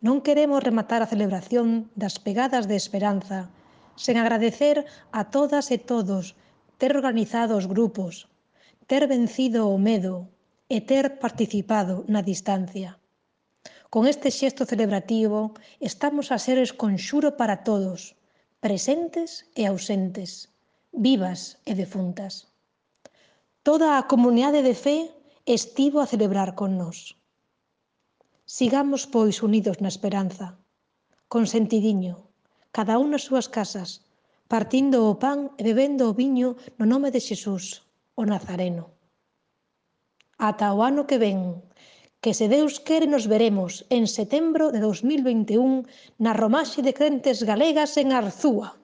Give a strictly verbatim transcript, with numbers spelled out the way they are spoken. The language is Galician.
Non queremos rematar a celebración das pegadas de esperanza sen agradecer a todas e todos ter organizado os grupos, ter vencido o medo e ter participado na distancia. Con este xesto celebrativo estamos a ser esconxuro para todos, presentes e ausentes, vivas e defuntas. Toda a comunidade de fe estivo a celebrar con nós. Sigamos, pois, unidos na esperanza, con sentidiño, cada un nas súas casas, partindo o pan e bebendo o viño no nome de Xesús, o Nazareno. Ata o ano que ven, que se Deus quere nos veremos en setembro de dos mil vinte e un na romaxe de crentes galegas en Arzúa.